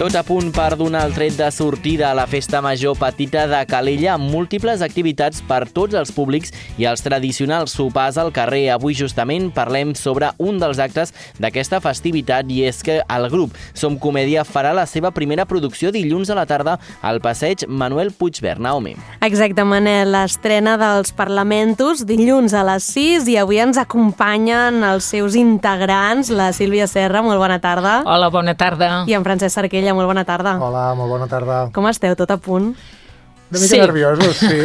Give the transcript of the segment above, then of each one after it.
Tot a punt per donar el tret de sortida a la Festa Major Petita de Calella amb múltiples activitats per tots els públics i els tradicionals sopars al carrer. Avui justament parlem sobre un dels actes d'aquesta festivitat i és que el grup Som Comèdia farà la seva primera producció dilluns a la tarda al passeig Manuel Puigverd. Naomi. Exacte, Manel, l'estrena dels Parlamentos dilluns a les 6 i avui ens acompanyen els seus integrants, la Sílvia Serra, molt bona tarda. Hola, bona tarda. I en Francesc Sarquella, molt bona tarda. Hola, molt bona tarda. Com esteu? Tot a punt? Una mica nerviosos, sí.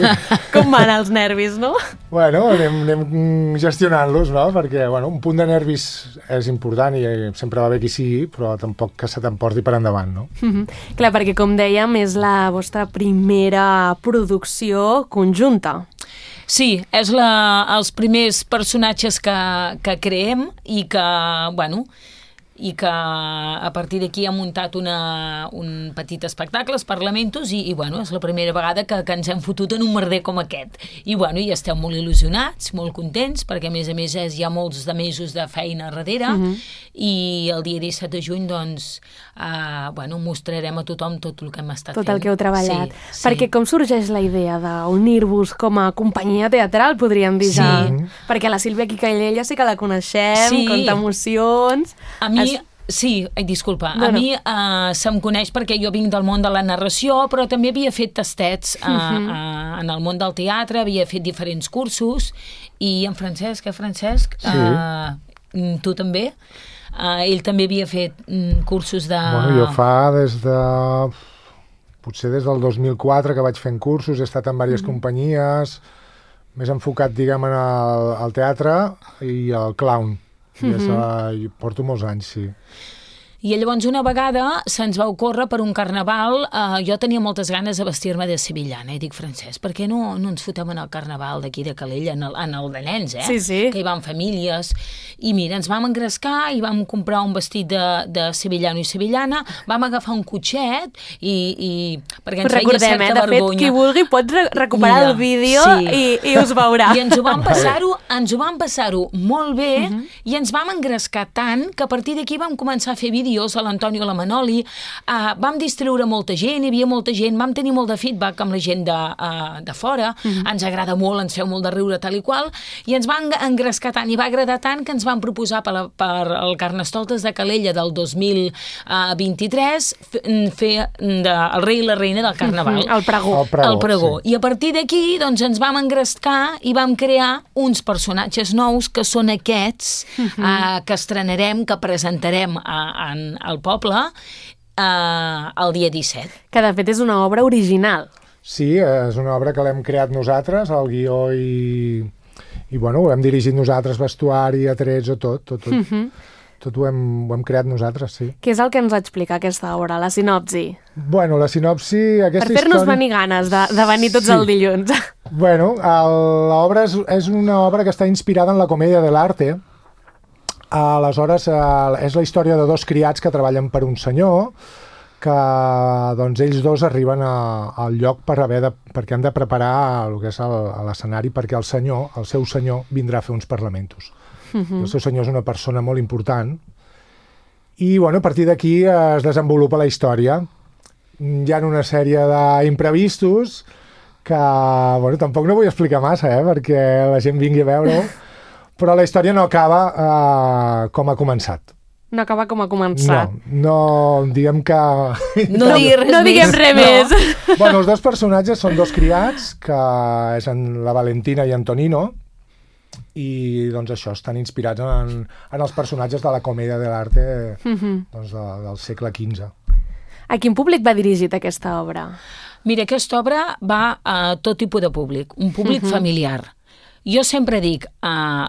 Com van els nervis, no? Bueno, anem gestionant-los, no? Perquè un punt de nervis és important i sempre va bé qui sigui, però tampoc que se t'emporti per endavant, no? Clar, perquè com dèiem, és la vostra primera producció conjunta. Sí, és els primers personatges que creem i que, i que a partir d'aquí ha muntat un petit espectacle, els Parlamentos, i és la primera vegada que ens hem fotut en un merder com aquest. I estem molt il·lusionats, molt contents, perquè a més hi ha molts de mesos de feina darrere, i el dia 17 de juny, mostrarem a tothom tot el que hem estat fent. Tot el que heu treballat. Sí. Perquè com sorgeix la idea d'unir-vos com a companyia teatral, podríem dir ja? Perquè la Sílvia Calella sí que la coneixem, conta emocions... Sí, disculpa. A mi se'm coneix perquè jo vinc del món de la narració, però també havia fet tastets en el món del teatre, havia fet diferents cursos, i en Francesc, tu també? Ell també havia fet cursos de... Jo fa potser des del 2004 que vaig fent cursos, he estat en diverses companyies, més enfocat, diguem, al teatre i al clown. I porto molts anys, sí. I llavors una vegada se'ns va ocórrer per un carnaval, jo tenia moltes ganes de vestir-me de sevillana, i dic, Francesc, per què no ens fotem en el carnaval d'aquí de Calella, en el de nens, Sí. Que hi van famílies, i mira, ens vam engrescar i vam comprar un vestit de sevillano i sevillana, vam agafar un cotxet i perquè ens feia certa vergonya. De fet, qui vulgui pot recuperar el vídeo i us veurà. I ens ho vam passar-ho molt bé, i ens vam engrescar tant que a partir d'aquí vam començar a fer vídeos a l'Antonio i a la Manoli, vam distreure molta gent, hi havia molta gent, vam tenir molt de feedback amb la gent de fora, ens agrada molt, ens feu molt de riure tal i qual, i ens van engrescar tant i va agradar tant que ens van proposar per el Carnestoltes de Calella del 2023 fer el rei i la reina del carnaval. El pregó. El pregó. Sí. I a partir d'aquí ens vam engrescar i vam crear uns personatges nous que són aquests que estrenarem, que presentarem al poble el dia 17. Que de fet és una obra original. Sí, és una obra que l'hem creat nosaltres, el guió ho hem dirigit nosaltres, vestuari, atrets, tot ho hem creat nosaltres, sí. Què és el que ens explica aquesta obra, la sinopsi? La sinopsi... Per fer-nos venir ganes de venir tots el dilluns. L'obra és una obra que està inspirada en la comèdia de l'arte. Aleshores, és la història de dos criats que treballen per un senyor, que ells dos arriben al lloc perquè han de preparar el que és l'escenari, perquè el seu senyor vindrà a fer uns parlamentos. El seu senyor és una persona molt important i a partir d'aquí es desenvolupa la història. Hi ha una sèrie d'imprevistos que tampoc no vull explicar massa, perquè la gent vingui a veure-ho, però la història no acaba com ha començat. No acaba com ha començat. No diguem que... No diguem res més. Els dos personatges són dos criats, que és la Valentina i Antonino, i això, estan inspirats en els personatges de la comèdia de l'arte del segle XV. A quin públic va dirigit aquesta obra? Mira, aquesta obra va a tot tipus de públic, un públic familiar. Jo sempre dic,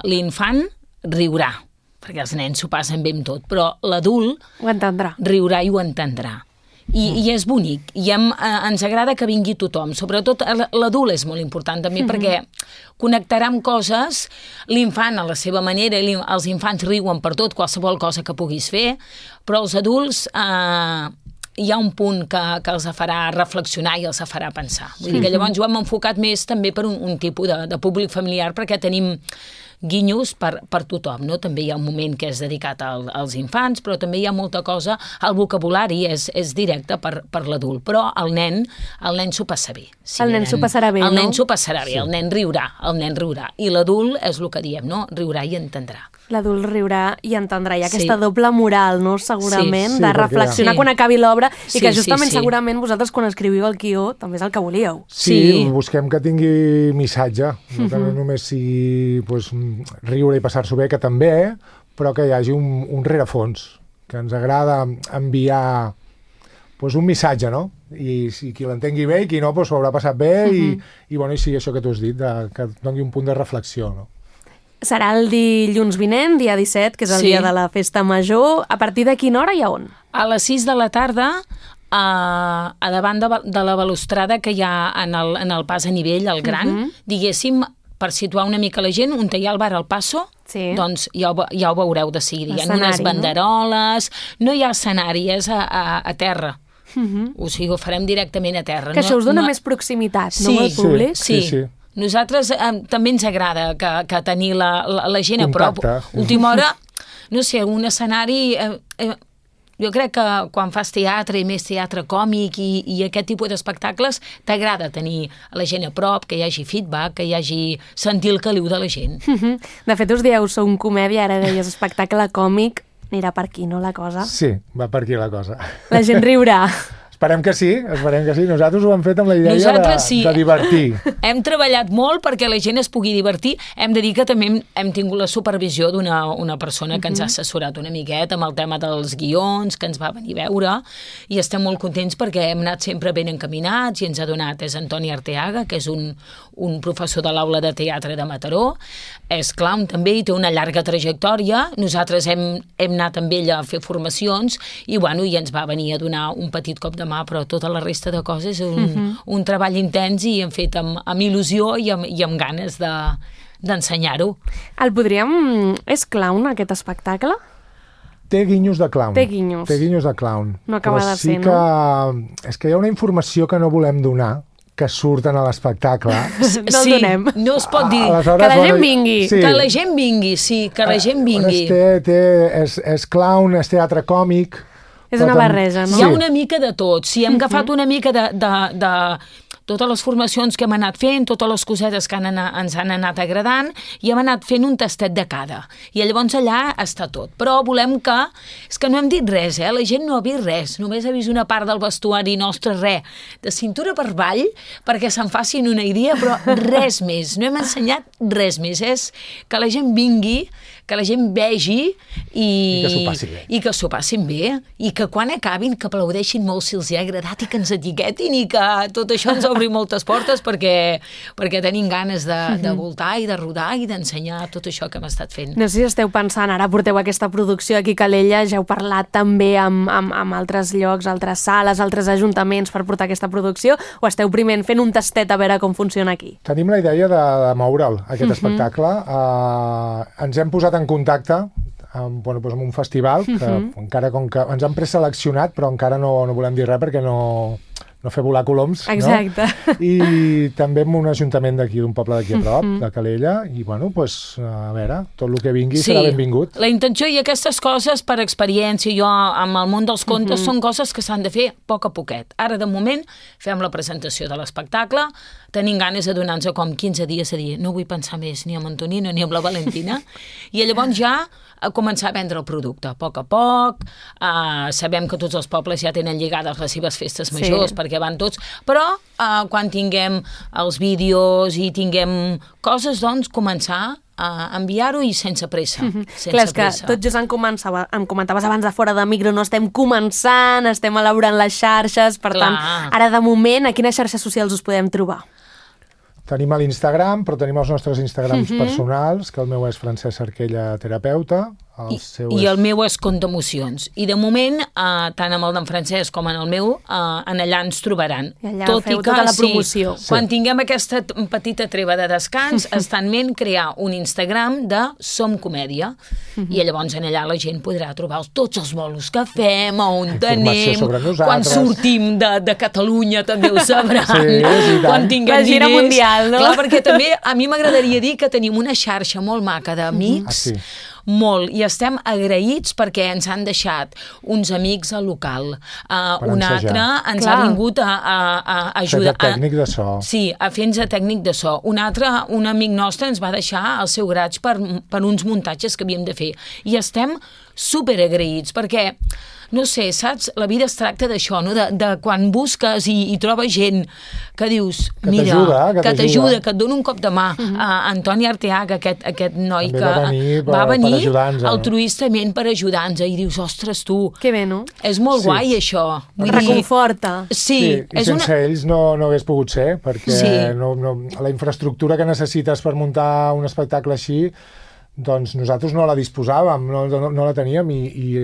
l'infant riurà, perquè els nens s'ho passen bé amb tot, però l'adult ho entendrà. Riurà i ho entendrà. I és bonic, i ens agrada que vingui tothom, sobretot l'adult és molt important també, perquè connectarà amb coses, l'infant a la seva manera, els infants riuen per tot, qualsevol cosa que puguis fer, però els adults hi ha un punt que els farà reflexionar i els farà pensar. Vull dir que llavors ho hem enfocat més també per un tipus de públic familiar, perquè tenim guinyos per tothom, no? També hi ha un moment que és dedicat als infants, però també hi ha molta cosa, el vocabulari és directe per l'adult, però el nen s'ho passa bé. El nen s'ho passarà bé, no? El nen s'ho passarà bé, el nen riurà, i l'adult és el que diem, no? Riurà i entendrà. L'adult riurà i entendrà. Hi ha aquesta doble moral, no? Segurament, de reflexionar quan acabi l'obra i que justament segurament vosaltres quan escriviu el guió també és el que volíeu. Sí, busquem que tingui missatge, no que no només sigui riure i passar-s'ho bé, que també, però que hi hagi un rerefons, que ens agrada enviar un missatge, no? I si qui l'entengui bé i qui no, s'ho haurà passat bé i sigui això que tu has dit, que doni un punt de reflexió, no? Serà el dilluns vinent, dia 17, que és el dia de la Festa Major. A partir de quina hora i a on? A les 6 de la tarda, a davant de la balustrada que hi ha en el pas a nivell, el gran, diguéssim, per situar una mica la gent, on hi ha el bar al Passo, doncs ja ho veureu de seguida. Hi ha unes banderoles, no hi ha escenari, és a terra. O sigui, ho farem directament a terra. Que això us dona més proximitat, no, al públic? Sí. Nosaltres també ens agrada que tenir la gent a prop. Última hora, no sé, un escenari... Jo crec que quan fas teatre, i més teatre còmic i aquest tipus d'espectacles, t'agrada tenir la gent a prop, que hi hagi feedback, que hi hagi sentir el caliu de la gent. De fet, us dieu, sou un comèdia, ara deies espectacle còmic, anirà per aquí, no, la cosa? Sí, va per aquí la cosa. La gent riurà. Esperem que sí. Nosaltres ho hem fet amb la idea de divertir. Hem treballat molt perquè la gent es pugui divertir. Hem de dir que també hem tingut la supervisió d'una persona que ens ha assessorat una miqueta amb el tema dels guions, que ens va venir a veure, i estem molt contents perquè hem anat sempre ben encaminats i ens ha donat, és Antoni Arteaga, que és un professor de l'aula de teatre de Mataró, és clown també i té una llarga trajectòria. Nosaltres hem anat amb ell a fer formacions i ens va venir a donar un petit cop de mà, però tota la resta de coses és un treball intens i hem fet amb il·lusió i amb ganes d'ensenyar-ho. El podríem... És clown, aquest espectacle? Té guinyos de clown. Té guinyos de clown. No acaba de ser, no? És que hi ha una informació que no volem donar, que surten a l'espectacle. No el donem. No es pot dir. Que la gent vingui. Que la gent vingui, sí, que la gent vingui. És clown, és teatre còmic. És una barreja, no? Hi ha una mica de tot. Si hem agafat una mica de totes les formacions que hem anat fent, totes les cosetes que ens han anat agradant, i hem anat fent un tastet de cada. I llavors allà està tot. Però volem que... És que no hem dit res, la gent no ha vist res. Només ha vist una part del vestuari nostre, de cintura per avall, perquè se'n facin una idea, però res més. No hem ensenyat res més. És que la gent vingui, que la gent vegi i que s'ho passi bé. I que s'ho passin bé. I que quan acabin, que aplaudeixin molt si els hi ha agradat i que ens etiquetin i que tot això ens obri moltes portes perquè tenim ganes de voltar i de rodar i d'ensenyar tot això que hem estat fent. No sé si esteu pensant, ara porteu aquesta producció aquí a Calella, ja heu parlat també amb altres llocs, altres sales, altres ajuntaments per portar aquesta producció, o esteu primer fent un tastet a veure com funciona aquí? Tenim la idea de moure'l, aquest espectacle. Ens hem posat en contacte amb un festival que encara com que ens han preseleccionat, però encara no volem dir res perquè no fer volar coloms. Exacte. No? I també amb un ajuntament d'aquí, d'un poble d'aquí a prop, de Calella, i a veure, tot el que vingui serà benvingut. La intenció i aquestes coses per experiència, jo amb el món dels contes, són coses que s'han de fer a poc a poquet. Ara, de moment, fem la presentació de l'espectacle, tenim ganes de donar-nos com 15 dies a dir no vull pensar més ni amb Antonino ni amb la Valentina, i llavors ja a començar a vendre el producte, a poc. Sabem que tots els pobles ja tenen lligades les seves festes majors, perquè van tots, però quan tinguem els vídeos i tinguem coses, doncs, començar a enviar-ho i sense pressa. Clar, és que tot just em comentaves abans de fora de micro, no estem començant, estem elaborant les xarxes, per tant, ara de moment, a quines xarxes socials us podem trobar? Tenim a l'Instagram, però tenim els nostres Instagrams personals, que el meu és Francesc Cerquella Terapeuta, I el meu és Conte Emocions. I de moment, tant amb el d'en Francesc com en el meu, en allà ens trobaran. I allà feu tota la promoció. Sí, quan tinguem aquesta petita treva de descans, està en ment crear un Instagram de Som Comèdia. I llavors en allà la gent podrà trobar tots els bolos que fem, on anem, quan sortim de Catalunya també ho sabran. Sí, quan tinguem la gira diners. Mundial, no? Clar, perquè també a mi m'agradaria dir que tenim una xarxa molt maca d'amics, molt, i estem agraïts perquè ens han deixat uns amics al local, un altre ens ha vingut a ajudar a tècnic de so. Sí, a fer-nos a tècnic de so. Un altre, un amic nostre ens va deixar el seu graig per uns muntatges que havíem de fer, i estem superagraïts perquè no sé, saps? La vida es tracta d'això, no? De quan busques i trobes gent que dius, mira, que t'ajuda, que et dona un cop de mà. Antoni Arteaga, aquest noi que va venir altruistament per ajudar-nos, i dius, ostres, tu, que bé, no? És molt guai, això. Et reconforta. Sí. I sense ells no hagués pogut ser, perquè la infraestructura que necessites per muntar un espectacle així, doncs nosaltres no la disposàvem, no la teníem, i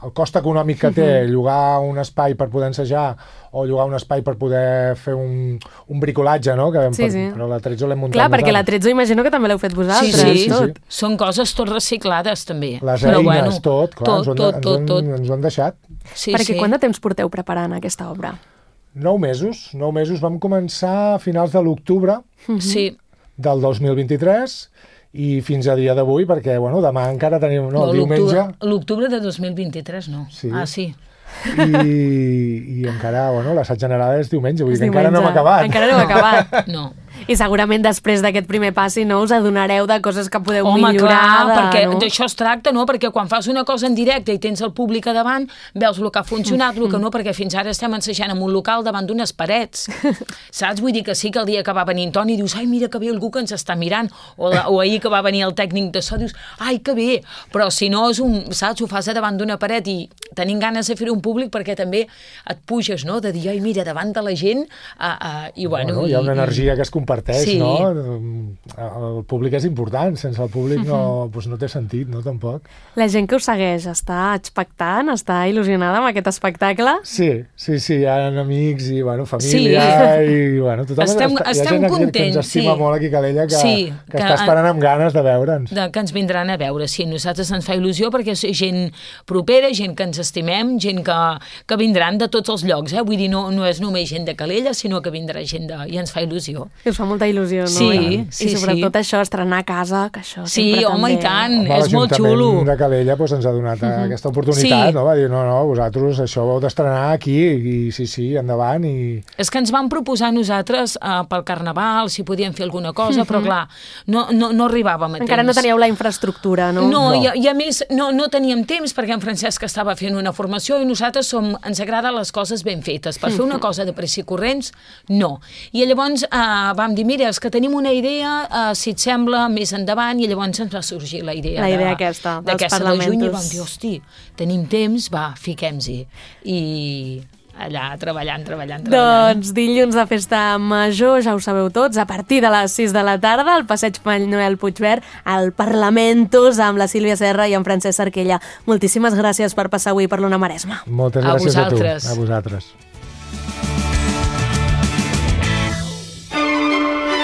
el cost econòmic que té llogar un espai per poder ensejar o llogar un espai per poder fer un bricolatge, no? Però l'Atrezzo l'hem muntat. Clar, perquè l'Atrezzo imagino que també l'heu fet vosaltres. Sí. Són coses tot reciclades, també. Les eines, tot, clar, ens ho han deixat. Perquè quant de temps porteu preparant aquesta obra? 9 mesos. 9 mesos. Vam començar a finals de l'octubre del 2023, i fins a dia d'avui, perquè, demà encara tenim... No, diumenge... L'octubre de 2023, no. Sí. Sí. I encara, l'assaig general és diumenge, vull dir que encara no hem acabat. Encara no hem acabat. No. I segurament després d'aquest primer passi us adonareu de coses que podeu millorar. Home, clar, perquè d'això es tracta, no? Perquè quan fas una cosa en directe i tens el públic a davant, veus el que ha funcionat, el que no, perquè fins ara estem ensajant en un local davant d'unes parets. Saps? Vull dir que sí que el dia que va venir en Toni dius, ai, mira que bé algú que ens està mirant, o ahir que va venir el tècnic de so dius, ai, que bé, però si no és saps, ho fas a davant d'una paret i tenim ganes de fer-ho en públic perquè també et puges, no?, de dir, ai, mira, davant de la gent, i hi ha una energia que es comparteix, no? El públic és important, sense el públic no té sentit, no, tampoc. La gent que us segueix està expectant, està il·lusionada amb aquest espectacle? Sí, hi ha amics i, família, i, tothom estem hi ha gent contents, que ens estima molt aquí a Calella, que està esperant amb ganes de veure'ns. Que ens vindran a veure, sí, a nosaltres ens fa il·lusió perquè és gent propera, gent que ens estimem, gent que vindran de tots els llocs, vull dir, no és només gent de Calella, sinó que vindrà gent i ens fa il·lusió. I us fa molta il·lusió, no? Sí. I sobretot això, estrenar a casa, que això sempre també... Home, i tant, és molt xulo. L'Ajuntament de Calella ens ha donat aquesta oportunitat, no? Va dir, no, vosaltres això ho heu d'estrenar aquí, i sí, endavant, i... És que ens van proposar nosaltres pel Carnaval, si podíem fer alguna cosa, però clar, no arribàvem a temps. Encara no teníeu la infraestructura, no? No, i a més no teníem temps perquè en Francesc estava fent una formació i nosaltres ens agraden les coses ben fetes. Per fer una cosa de pressa i corrents, no. I llavors vam dir, mira, és que tenim una idea, si et sembla, més endavant, i llavors ens va sorgir la idea aquesta, dels parlamentos. De juny, i vam dir, hosti, tenim temps, va, fiquem-hi. I allà treballant. Doncs dilluns de festa major, ja ho sabeu tots, a partir de les 6 de la tarda, al passeig Manuel Puigverd, al Parlamentos, amb la Sílvia Serra i en Francesc Sarquella. Moltíssimes gràcies per passar avui per l'Ona Maresma. Moltes gràcies a tu. A vosaltres.